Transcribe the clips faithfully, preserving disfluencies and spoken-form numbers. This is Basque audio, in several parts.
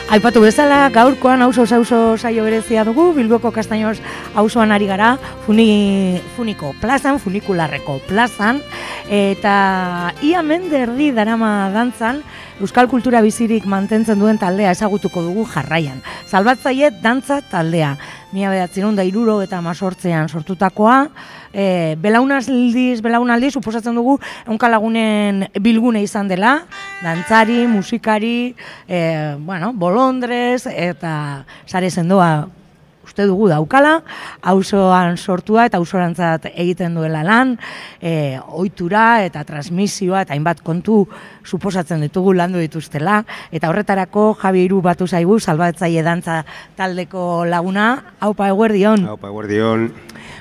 Aipatu bezala, gaurkoan auzo auzo saio berezia dugu, Bilboko Kastainos auzoan ari gara, funi, funiko plazan, funikularreko plazan, eta ia mende erdi darama dantzan, euskal kultura bizirik mantentzen duen taldea ezagutuko dugu jarraian. Salbatzaile dantza taldea, mila bederatziehun eta hirurogeita hemezortzian sortutakoa, e, belaunaldiz, belaunaldiz, suposatzen dugu ehunka lagunen bilgune izan dela, dantzari, musikari, e, bueno, bolondrez, eta sare sendoa uste dugu daukala, auzoan sortua eta auzorantzat egiten duela lan, e, ohitura eta transmisioa eta hainbat kontu suposatzen ditugu landu dituztela, eta horretarako Javi Hiru batu zaigu, Salbatzaile dantza taldeko laguna. Aupa, eguerdion. Aupa, eguerdion.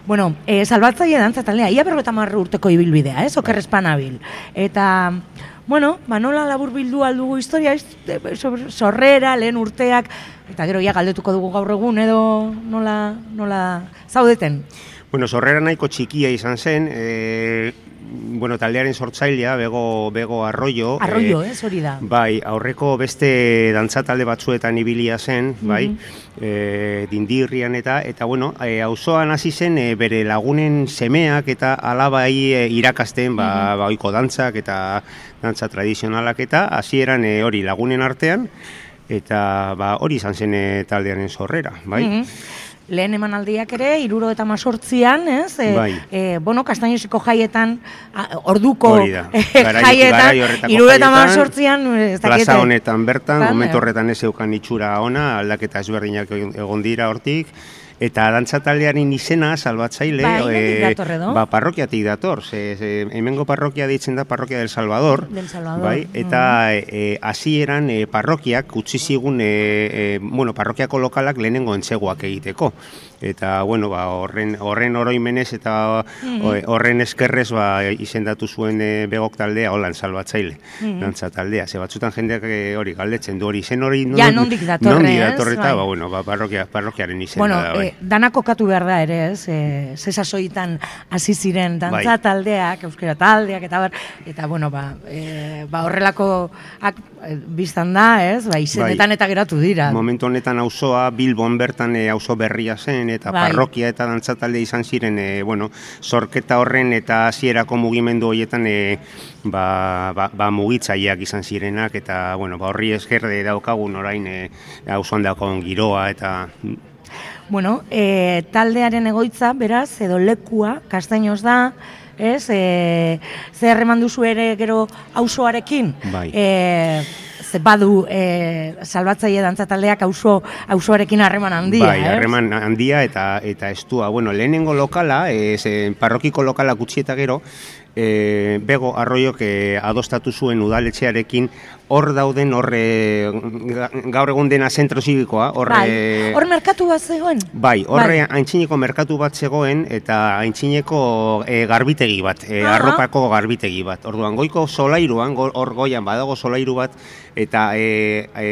Bueno, e, Salbatzaile dantza taldea, ia berrogeita hamar urteko ibilbidea, ez? Okerrezpan nabil. Eta, bueno, ba, nola labur bildu aldugu historia, ez? Sorrera, lehen urteak, eta gero ja galdetuko dugu gaur egun, edo nola, nola zaudeten? Bueno, sorrera nahiko txikia izan zen, e, bueno, taldearen sortzailea, Bego, Bego Arroyo. Arroyo, ez, hori da. Bai, aurreko beste dantza talde batzuetan ibilia zen, bai, mm-hmm. e, dindirrian eta, eta bueno, e, auzoan hasi zen e, bere lagunen semeak eta alabai e, irakasten, ba, mm-hmm. ba, oiko dantzak eta dantza tradizionalak eta hasieran e, hori lagunen artean, eta ba, hori izan zen e, taldearen sorrera, bai. Mm-hmm. Lehen emanaldiak ere, hirurogeita hemezortzian, ez? E, bai. E, bueno, Kastainoseko jaietan, a, orduko e, jaietan, hirurogeita hemezortzian, plaza honetan bertan, momentu horretan ez eukan itxura ona, aldaketa ezberdinak egon dira hortik, eta dantza taldearen izena, Salbatzaile, bai, e, ba, parrokiatik dator, ze, ze, hemengo parrokia deitzen da Parrokia del Salvador, del Salvador. Bai, eta hasieran mm. e, e, parrokiak utzi zigun, e, e, bueno, parrokiako lokalak lehenengo entzeguak egiteko. Eta, bueno, ba, horren, horren oroimenez eta mm-hmm. horren eskerrez ba, izendatu zuen e, Begok taldea, holan Salbatzaile, mm-hmm. dantza taldea. Ze batzutan jendeak hori galdetzen du hori, zen hori non, ja, nondik datorre, nondik datorre eta, ba, bueno, ba, parrokia, parrokiaren izena bueno, da. Bai. E, dana kokatu behar da ere, ez? E, zesasoitan hasi ziren dantza bai. Taldeak, euskera taldeak, eta bar, eta, bueno, ba, e, ba horrelako ak, e, biztan da, ez? Ba, izenetan bai. Eta geratu dira. Momentu honetan auzoa Bilbon bertan e, auzo berria zen, eta bai. Parrokia eta dantza talde izan ziren, e, bueno, sorketa horren eta hasierako mugimendu horietan e, ba, ba, ba mugitzaileak izan zirenak, eta, bueno, ba, horri esker daukagun orain e, auzoan daukagun giroa, eta... Bueno, e, taldearen egoitza, beraz, edo lekua, Kastainos da, ez? E, zer eman duzu ere gero auzoarekin? Bai. E, ze badu e, Salbatzaile dantza taldeak auzo auzoarekin harreman handia, bai, harreman handia eta eta estua. Bueno, lehenengo lokala, ez, parrokiko lokala gutxi eta gero, e, Bego Arroiok e, adostatu zuen udaletxearekin hor dauden, hor e, gaur egun dena zentro zibikoa. Hor bai. Hor merkatu bat zegoen? Bai, hor bai. Aintzineko merkatu bat zegoen eta aintzineko e, garbitegi bat, e, arropako garbitegi bat. Orduan, goiko solairuan, hor goian badago solairu bat, eta e, e,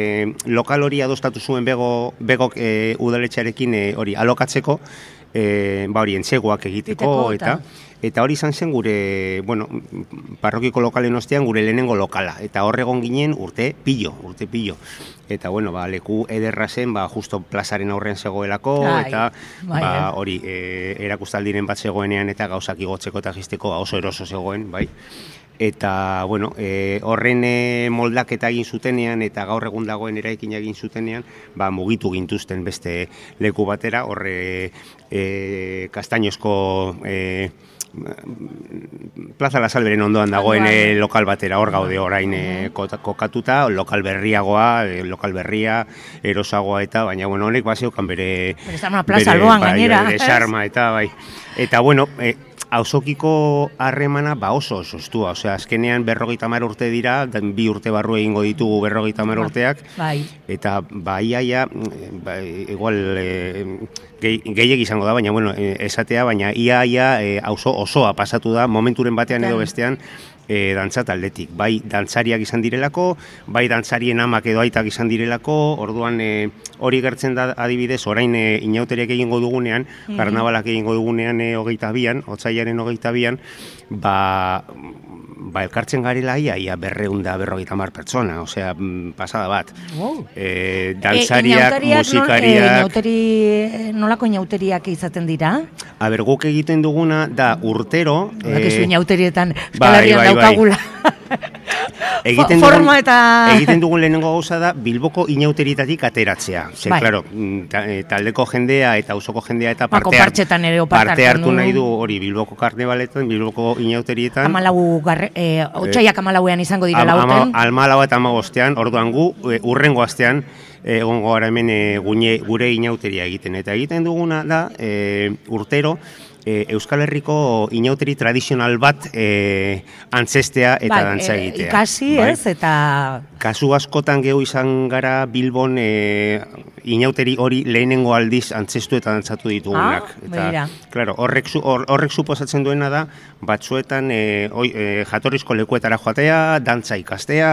lokal hori adostatu zuen Bego, Begok e, udaletxearekin e, hori alokatzeko, e, ba hori entzegoak egiteko, Iteko, eta... Eta hori izan zen gure, bueno, parrokiko lokalen ostean gure lehenengo lokala. Eta hor egon ginen urte pillo, urte pillo. Eta, bueno, ba, leku ederra zen, ba, justo plazaren aurrean zegoelako, ai, eta bai, ba, hori e, erakustaldiren bat zegoenean eta gauzak igotzeko eta jisteko oso eroso zegoen, bai. Eta, bueno, e, horren e, moldaketa egin zutenean eta gaur egun dagoen eraikin egin zutenean, ba, mugitu gintuzten beste leku batera, horre e, Kastainosko... E, Plaza La Salberen ondoan dagoen e, lokal batera, hor gaude orain e, kokatuta, lokal berriagoa, e, lokal berria, erosagoa eta, baina, bueno, honek bazeukan bere... Bere plaza alboan gainera. Bere sarma eta, bai. Eta, bueno, e, auzokiko harremana ba oso oso estua, osea, azkenean berrogeita hamar urte dira, bi urte barru egingo ditugu berrogeita hamar urteak, bai. Eta ba iaia, ba, igual e, gehiegi izango da, baina bueno, esatea, baina iaia auzo osoa pasatu da momenturen batean edo bestean, E, dantza taldetik, bai dantzariak izan direlako, bai dantzarien amak edo aitak izan direlako, orduan e, hori gertzen da adibidez, orain e, inauteriak egingo dugunean, mm-hmm. karnabalak egingo dugunean e, hogeita bian, otsailaren hogeita bian, ba, ba, elkartzen garela ia, ia berreun da berrogeita hamar pertsona, osea, pasada bat. Wow. E, dantzariak, e, musikariak... E, inauteri, nolako inauteriak izaten dira? Aber, guk egiten duguna da urtero... Horrek e, inauterietan Euskal Herrian bai, daukagula. Bai. Egiten dugun, dugun, eta... egiten dugun lehenengo gauza da Bilboko inauterietatik ateratzea. Ze, bai. Claro, taldeko jendea eta auzoko jendea eta parte, hart, parte hartu nahi du hori Bilboko karnebaletan, Bilboko inauterietan. Amalau, garre, e, otxaiak amalauean izango dira lauten. Almalau eta amagostean, orduan gu, urrengo astean, egongo gara hemen e, gune, gure inauteria egiten. Eta egiten duguna da, e, urtero, E, Euskal Herriko inauteri tradizional bat e, antzestea eta bai, dantza egitea. E, ikasi, bai? Ez, eta... Kasu askotan gehu izan gara Bilbon e, inauteri hori lehenengo aldiz antzestu eta dantzatu ditugunak. Ah, eta, claro, horrek, or, horrek suposatzen duena da, batzuetan e, oi, e, jatorrizko lekuetara joatea, dantza ikastea,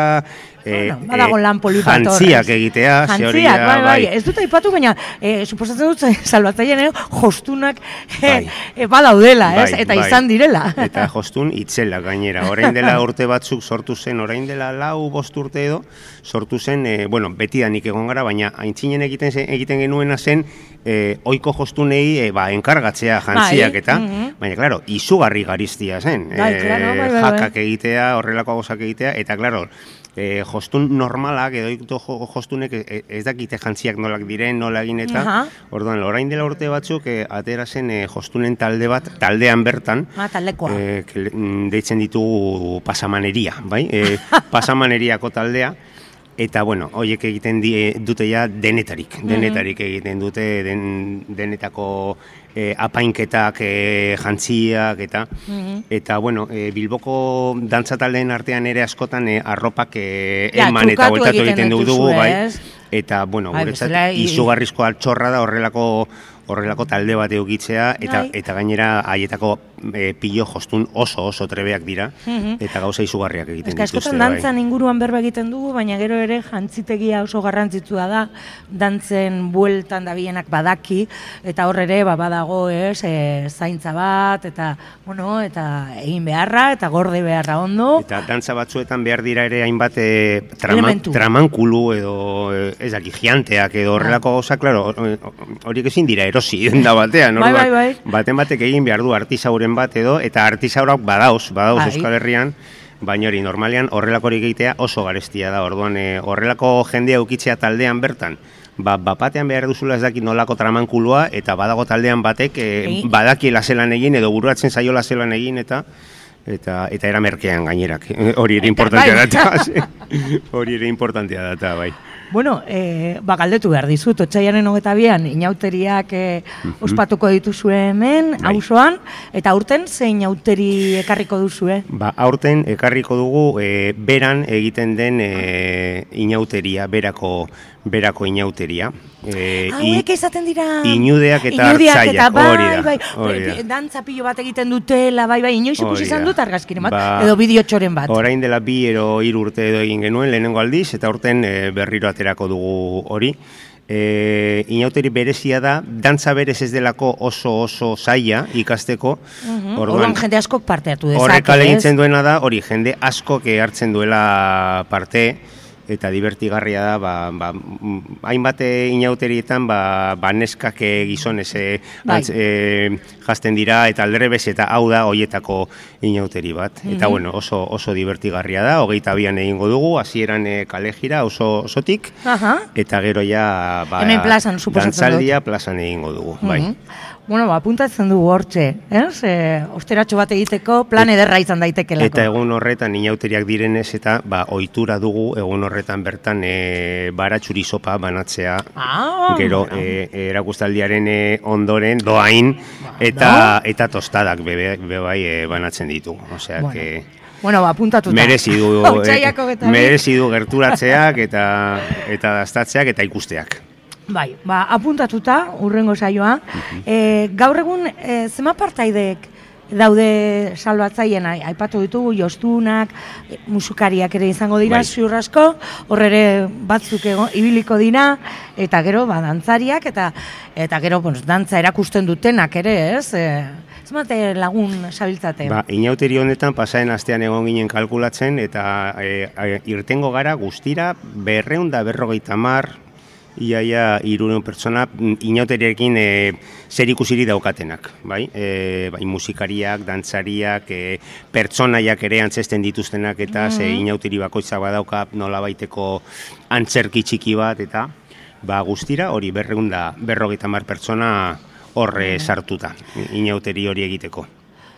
e, bueno, badago lan polipator. Jantziak egitea. Jantziak, bai, bai, bai. Ez dut aipatu, baina e, suposatzen dut salbatzailean jostunak e, e, badaudela, bai, ez? Eta bai. Izan direla. Eta jostun itzela gainera. Orain dela urte batzuk sortu zen, orain dela lau bost urte edo, sortu zen, e, bueno, betidanik egon gara, baina aintzinen egiten, egiten genuena zen, e, oiko jostunei e, ba, enkargatzea jantziak eta, mm -hmm. baina, klaro, izugarri gariztia zen. Bai, e, claro, bai, bai, jakak egitea, horrelako gauzak egitea, eta, klaro, E, jostun normalak, edo ikutu jostunek ez dakite jantziak nolak diren, nola egin eta, uh-huh. Orduan, orain dela urte batzuk, e, atera zen e, jostunen talde bat, taldean bertan, ah, taldekoa. E, deitzen ditugu pasamaneria, bai? E, pasamaneriako taldea, eta, bueno, horiek egiten die, dute ja denetarik, denetarik mm-hmm. egiten dute, den, denetako e, apainketak, e, jantziak, eta, mm-hmm. eta, bueno, e, Bilboko dantza taldeen artean ere askotan e, arropak e, ja, eman eta bueltatu egiten dugu, bai, eta, bueno, guretzat, izugarrizko altxorra da horrelako horrelako talde bat eukitzea, eta, eta gainera haietako e, pilo jostun oso oso trebeak dira, mm-hmm. eta gauza izugarriak egiten dituzte. Ez askotan dantzan inguruan berba egiten dugu, baina gero ere jantzitegia oso garrantzitsua da, dantzen bueltan dabienak badaki, eta hor ere ba, badago ez, e, zaintza bat, eta bueno, eta egin beharra, eta gorde beharra ondo. Eta dantza batzuetan behar dira ere hainbat e, traman, tramankulu edo e, ez daki, gianteak edo horrelako gauza, klaro, horiek ezin dira erosi da batean, bai, bai, bai. Baten batek egin behar du artisauren bat edo, eta artisaurak badauz, badauz bai. Euskal Herrian, baina hori normalean horrelakorik egitea oso garestia da, orduan e, horrelako jendea ukitzea taldean bertan, ba, bapatean behar duzula ez dakit nolako tramankulua, eta badago taldean batek e, badakiela zelan egin, edo buruatzen zaiola zelan egin, eta eta eta era merkean gainerak, hori ere importantea data, hori ere importantea data, bai. Bueno, eh, ba, galdetu behar dizut, otsailaren hogeita bian, inauteriak eh, ospatuko dituzue hemen, auzoan, eta aurten ze inauteri ekarriko duzue? Ba, aurten ekarriko dugu eh, beran egiten den eh, inauteria, berako, berako inauteria. Eh, Hauek izaten dira... Inudeak eta hartzaiak, hori da. Bai, bai, dantza pilo bat egiten dutela, bai, bai, inoiz ikusi izan dut argazkiren bat, ba, edo bideotxoren bat. Orain dela bi ero hiru urte edo egin genuen lehenengo aldiz, eta aurten e, berriro aterako dugu hori. E, inauteri berezia da, dantza berez ez delako oso oso zaila ikasteko. Uh-huh. Orduan jende askok parte hartu dezake. Horrek alegintzen duena da, hori jende askok hartzen duela parte, eta divertigarria da, ba, ba, hainbat inauterietan ba, ba neskak gizonez e, bai. e, jazten dira, eta aldrebez eta hau da hoietako inauteri bat. Mm-hmm. Eta bueno, oso, oso divertigarria da, hogeita bian egingo dugu, hasieran e, kalejira oso osotik, uh-huh. eta gero ja ba, hemen plazan, dantzaldia plazan egingo dugu. Mm-hmm. Bai. Bueno, ba, apuntatzen dugu hortxe, ez? E, osteratxo bat egiteko plan ederra izan daitekelako. Eta egun horretan inauteriak direnez eta ba, ohitura dugu egun horretan bertan e, baratxuri sopa banatzea. Ah, gero e, erakustaldiaren e, ondoren doain eta, no? eta tostadak bebe, bebai e, banatzen ditu. Osea, bueno. que... Bueno, ba, apuntatuta. Merezi du, e, merezi du gerturatzeak eta, eta daztatzeak eta ikusteak. Bai, ba, apuntatuta, urrengo saioa. Uh-huh. e, gaur egun, e, zema partaidek daude salbatzaileen, aipatu ditugu, jostunak, musikariak ere izango dira, bai. Ziur asko, hor ere batzuk ego, ibiliko dira, eta gero, ba, dantzariak, eta eta gero, pues, dantza erakusten dutenak ere, ez? E, ez mate lagun sabiltzate? Ba, inauteri honetan, pasaen astean egon ginen kalkulatzen, eta e, e, irtengo gara guztira, berreun da berrogeita mar, iaia hirurehun pertsona inauteriarekin e, zer ikusiri daukatenak, bai? E, bai musikariak, dantzariak, e, pertsonaiak ere antzesten dituztenak, eta mm-hmm. ze inauteri bakoitza badauka nolabaiteko antzerki txiki bat, eta ba guztira hori berreun da berrogeita hamar pertsona horre sartuta, inauteri hori egiteko.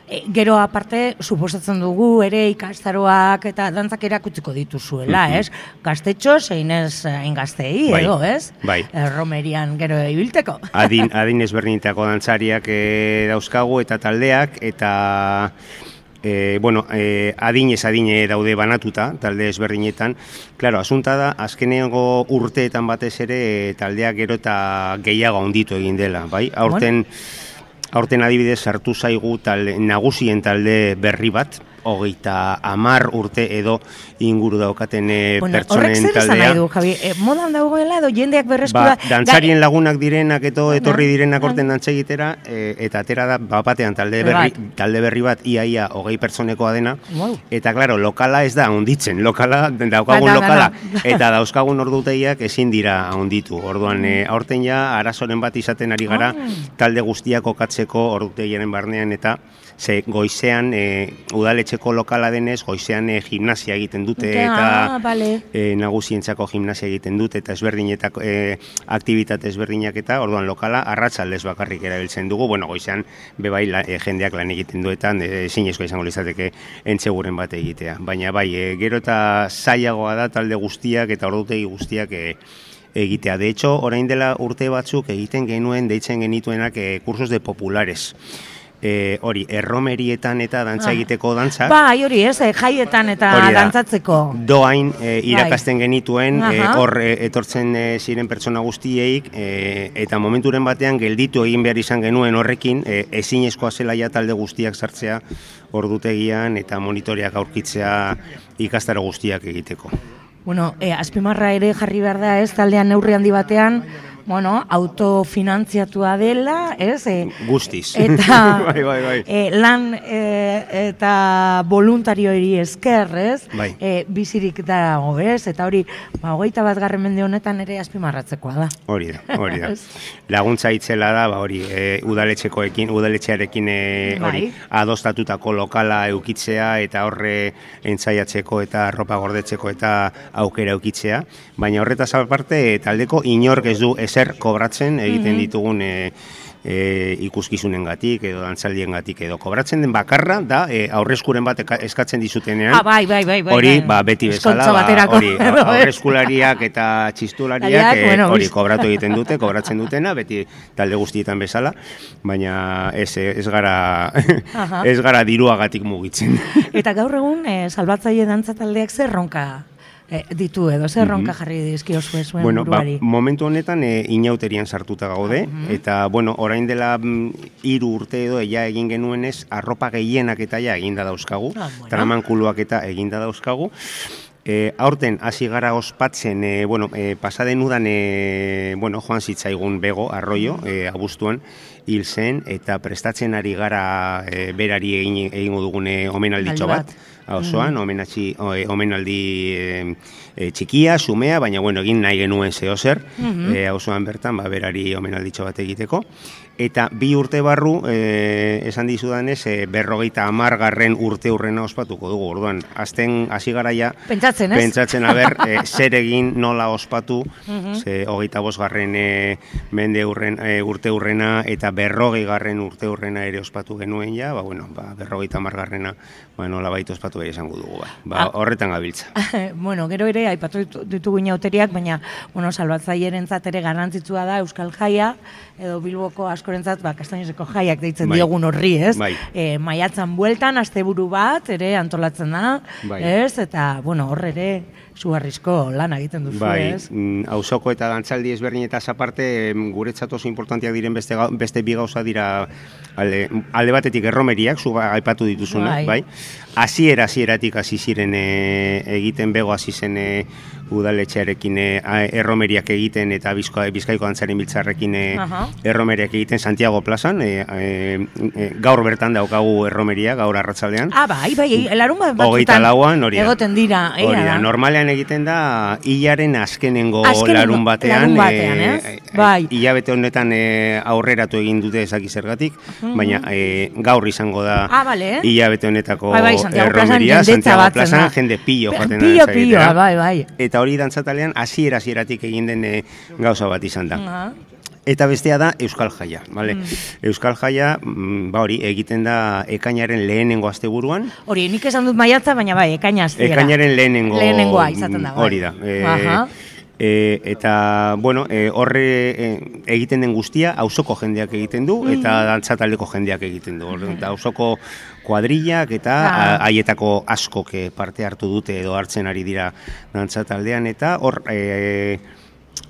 E, gero aparte, suposatzen dugu ere ikastaroak eta dantzak erakutziko dituzuela, mm-hmm. ez? Gaztetxo, zein ez hain gaztei, bai, edo, ez? Bai. E, Romerian gero ibilteko. Adin, adin ezberdinetako dantzariak e, dauzkagu eta taldeak, eta e, bueno, e, adinez adine daude banatuta, talde ezberdinetan. Claro, asunta da, azkenengo urteetan batez ere taldeak gero eta gehiago handitu egin dela, bai? Aurten... Bueno. Aurten adibidez sartu zaigu talde, nagusien talde berri bat, hogeita hamar urte edo inguru daukaten bueno, pertsonen taldea. Horrek zer esan nahi du, Javi? E, modan dagoela edo jendeak berreskura... Ba, dantzarien lagunak direnak edo etorri direnak orten dantza egitera, e, eta atera da bapatean talde berri, talde berri bat iaia hogei pertsonekoa dena, wow. Eta klaro, lokala ez da ahonditzen, lokala, daukagun ba, lokala, da, da. Eta dauzkagun ordutegiak ezin dira ahonditu. Orduan, e, aurten ja, arazoren bat izaten ari gara, oh. Talde guztiak okatzeko ordutegiaren barnean, eta ze goizean e, udaletxeko lokala denez, goizean e, gimnasia egiten dute okay, eta ah, vale. e, nagusientzako gimnasia egiten dute eta ezberdinetako e, aktibitate ezberdinak eta orduan lokala arratsaldez bakarrik erabiltzen dugu. Bueno, goizean bebai la, e, jendeak lan egiten duetan ezinezko e, izango litzateke entseguren bat egitea. Baina bai, e, gero eta zailagoa da talde guztiak eta ordutegi guztiak e, egitea. De hecho, orain dela urte batzuk egiten genuen, deitzen genituenak e, kursos de populares. E, hori, erromerietan eta dantza egiteko dantza. Bai, hori ez, jaietan eta dantzatzeko. Doain e, irakasten genituen, hor e, e, etortzen e, ziren pertsona guztieik, e, eta momenturen batean gelditu egin behar izan genuen horrekin, e, ezinezkoa zela ja talde guztiak sartzea ordutegian eta monitoreak aurkitzea ikastaro guztiak egiteko. Bueno, e, azpimarra ere jarri behar da ez, taldean neurri handi batean, bueno, autofinantziatua dela, ez? E, Guztiz. Eta bai, bai, bai. E, lan e, eta voluntarioeri esker, ez? Bai. E, bizirik dago, ez? Eta hori, ba, hogeita bat garren mende honetan ere azpimarratzekoa da. Hori da, hori da. Laguntza itzela da, ba, hori, e, udaletxekoekin, udaletxearekin e, hori, bai. Adostatutako lokala eukitzea eta horre entzaiatzeko eta arropa gordetzeko eta aukera eukitzea. Baina horretaz aparte, taldeko inork ez du zer kobratzen egiten ditugun e, e, ikuskizunengatik edo dantzaldiengatik edo kobratzen den bakarra da e, aurreskuren bat eskatzen dizutenean. Ah, bai, bai, bai, bai. Hori, ba, beti bezala, ba, hori, aurreskulariak eta txistulariak e, bueno, hori kobratu egiten dute, kobratzen dutena, beti talde guztietan bezala, baina ez, ez gara ez gara diruagatik mugitzen. Eta gaur egun e, salbatzaile dantza taldeak zer ronka E, ditu edo, zer ronka jarri dizkiozu zuen bueno, buruari? Ba, momentu honetan e, inauterian sartuta gaude, uh -huh. eta, bueno, orain dela hiru urte edo ja egin genuenez, arropa gehienak eta ja eginda dauzkagu, ah, bueno. Tramankuluak eta eginda dauzkagu. E, aurten hasi gara ospatzen, e, bueno, e, pasaden udan, e, bueno, joan zitzaigun Bego, Arroyo, e, abuztuan, hil zen, eta prestatzen ari gara e, berari egin, egingo dugune omenalditxo bat, osoan, mm. omenatxi, o, omenaldi e, e, txikia, sumea, baina bueno, egin nahi genuen zehozer, mm-hmm. e, osoan bertan, ba, berari omenalditxo bat egiteko. Eta bi urte barru, e, esan dizudanez, e, berrogeita hamargarren urte urrena ospatuko dugu. Orduan, azten hasi garaia, pentsatzen, ez? Pentsatzen, aber, e, zer egin nola ospatu, mm-hmm. ze hogeita bosgarren e, mende urren, e, urte urrena eta berrogei garren urte urrena ere ospatu genuen ja, ba, bueno, ba, berrogeita hamargarrena ba, nola baita ospatu kontzertu bai esango dugu, bai. Ba, horretan gabiltza. Bueno, gero ere, aipatu ditugu inauteriak, baina, bueno, salbatzailerentzat ere garrantzitsua da Euskal Jaia, edo Bilboko askorentzat, ba, Kastainozeko jaiak deitzen bai. Diogun horri, ez? Bai. E, maiatzan bueltan, asteburu bat, ere antolatzen da, bai. Ez? Eta, bueno, hor ere, zugarrizko lan egiten duzu, bai, ez? Auzoko eta dantzaldi ezberdinetaz aparte, guretzat oso importantiak diren beste, beste bi gauza dira alde, alde batetik erromeriak, zu aipatu dituzuna, bai? Hasiera hasieratik hasi ziren e, egiten bego hasi zen e, udaletxearekin e, erromeriak egiten eta Bizko, Bizkaiko dantzaren biltzarrekin e, erromeriak egiten Santiago plazan, e, e, e, gaur bertan daukagu erromeria, gaur arratsaldean. Ah, bai, bai, larun bat batzutan hogeita lauan, hori da. Egoten dira, hori da. Normalean egiten da hilaren azkenengo, azkenengo larun batean, larun batean e, ez? Bai. Hilabete honetan e, aurreratu egin dute ezaki zergatik, uh-huh. baina e, gaur izango da ah, vale. Hilabete honetako bai, bai, Santiago erromeria, Santiago plazan, jende pillo joaten da. Pillo, pillo, bai, bai. Eta hori dantzatalean hasiera hasieratik egin den e, gauza bat izan da. Uh-huh. Eta bestea da Euskal Jaia, vale? Mm. Euskal Jaia, ba hori, egiten da ekainaren lehenengo asteburuan. Hori, nik esan dut maiatza, baina bai, ekaina astiera. Ekainaren lehenengo. Lehenengoa izaten da, bai. Hori da. E, e, eta, bueno, e, horre e, egiten den guztia, auzoko jendeak egiten du, mm. eta dantzataldeko jendeak egiten du. Mm. Eta auzoko kuadrillak eta haietako askok parte hartu dute edo hartzen ari dira dantzataldean, eta hor... E,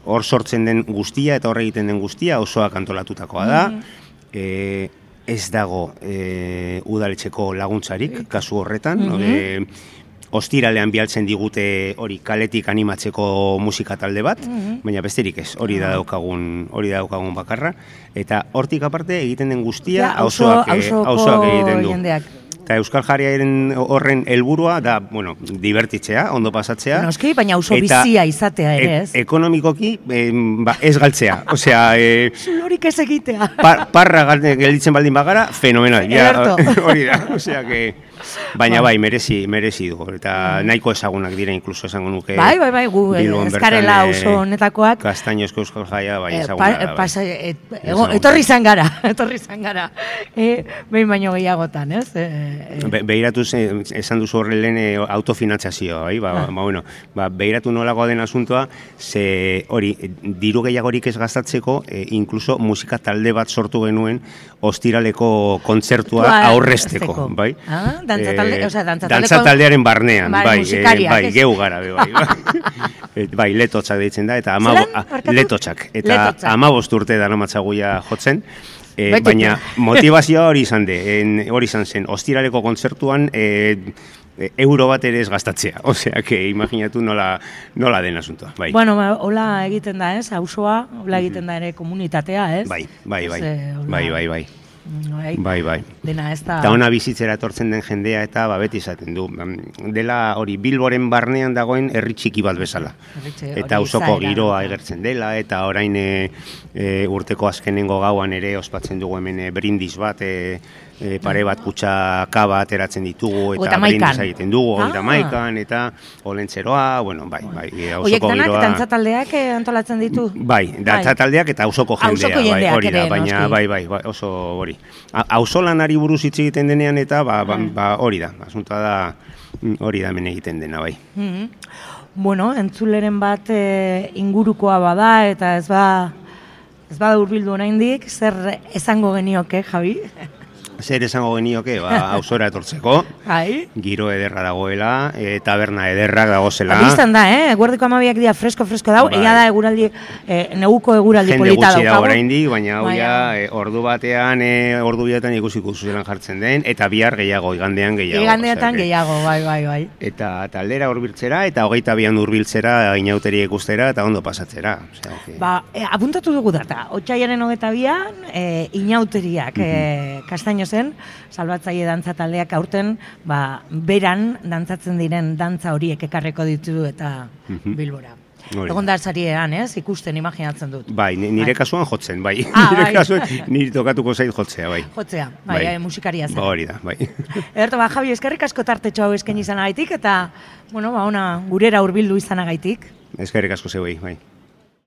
hor sortzen den guztia eta hor egiten den guztia osoak antolatutakoa da. Mm. E, ez dago e, udaletxeko laguntzarik, kasu horretan. Mm-hmm. e, ostiralean bialtzen digute hori kaletik animatzeko musika talde bat, mm-hmm. baina besterik ez, hori da daukagun, hori da daukagun bakarra. Eta hortik aparte egiten den guztia auzoak egiten du. Jendeak. Eta Euskal Jaiaren horren helburua da, bueno, divertitzea, ondo pasatzea. Noski, baina auzo bizia izatea ere, ez? E, ekonomikoki, e, ba, ez galtzea. Osea, e, zulorik ez egitea. Par, parra gelditzen baldin bagara, fenomenal. Ja, hori da, osea, que... Baina bai, merezi, merezi du. Eta nahiko ezagunak dira, inkluso esango nuke. Bai, bai, bai, gu eskarela oso honetakoak. Kastainozko Euskal Jaia, bai, ezaguna da. Etorri izan gara, etorri izan gara. Behin baino gehiagotan, ez? Behiratu esan duzu horre lehen autofinantzazioa, bai? Ba, bueno, behiratu nolagoa den asuntoa, ze hori, diru gehiagorik ez gastatzeko, inkluso musika talde bat sortu genuen ostiraleko kontzertua aurrezteko, bai? Ah, dantzatalde, o sea, dantzatalde dantzataldearen barnean, bai, bai, geu gara, bai, bai, letotxak deitzen da, eta letotxak, eta hamabost urte daramatzaguia jotzen, baina motivazioa hori izan de, hori izan zen, ostiraleko kontzertuan euro bat ere ez gastatzea, osea, que imaginatu nola, nola den asuntoa, bai. Bueno, hola egiten da, ez, auzoa, hola egiten da ere komunitatea, ez? Bai, bai, bai, bai, bai, bai. Bai, bai, bai. Dena ez da... Eta ona bizitzera etortzen den jendea eta ba, beti izaten du. Dela hori Bilboren barnean dagoen herri txiki bat bezala. Erritxe, eta auzoko giroa egertzen dela, eta orain e, e, urteko azkenengo gauan ere ospatzen dugu hemen e, brindis bat, e, e, pare bat kutxaka bat ateratzen ditugu, eta brindis egiten dugu, ah. eta maikan, eta olentzeroa, bueno, bai, bai. E, Oiek danak giroa... dantzataldeak antolatzen ditu? Bai, dantzataldeak eta auzoko jendea, bai, hori da, baina bai, bai, bai, oso hori. Auzolanari buruz hitz egiten denean eta ba, ba, ba hori da, asuntoa da hori da hemen egiten dena, bai. Mm-hmm. Bueno, entzuleren bat e, ingurukoa bada eta ez ba ez bada hurbildu oraindik, zer esango genioke, Javi? Zer esango genioke, ba, auzora etortzeko, Ai. Giro ederra dagoela, e, taberna ederrak dagozela. Bistan da, eh? Eguerdiko amabiak dira fresko-fresko dau, bai. Ea da eguraldi, eh, neguko eguraldi jende polita daukagu. Jende gutxi da oraindik, baina hau bai, ja, e, ordu batean, e, ordu bidetan ikusiko zuzelan jartzen den, eta bihar gehiago, igandean gehiago. Igandeetan gehiago, bai, bai, bai. Eta taldera hurbiltzera, eta hogeita bian hurbiltzera, inauteri ikustera, eta ondo pasatzera. Osea, okay. Ba, e, apuntatu dugu data, otsailaren hogeita bian, e, inauteriak, mm-hmm. e, Kastaino zen, salbatzaile dantza taldeak aurten, ba, beran dantzatzen diren dantza horiek ekarreko ditu eta mm-hmm. Bilbora. Egon da sariean, ez? Ikusten, imaginatzen dut. Bai, nire bai. Kasuan jotzen, bai. Ah, nire bai. kasuan, nire tokatuko zait jotzea, bai. Jotzea, bai, bai. Musikaria zen. Ba, hori da, bai. Ederto, ba, Javi, eskerrik asko tartetxo hau eskaini izanagaitik, eta, bueno, ba, ona, gurera hurbildu izanagaitik. Eskerrik asko zeu, bai.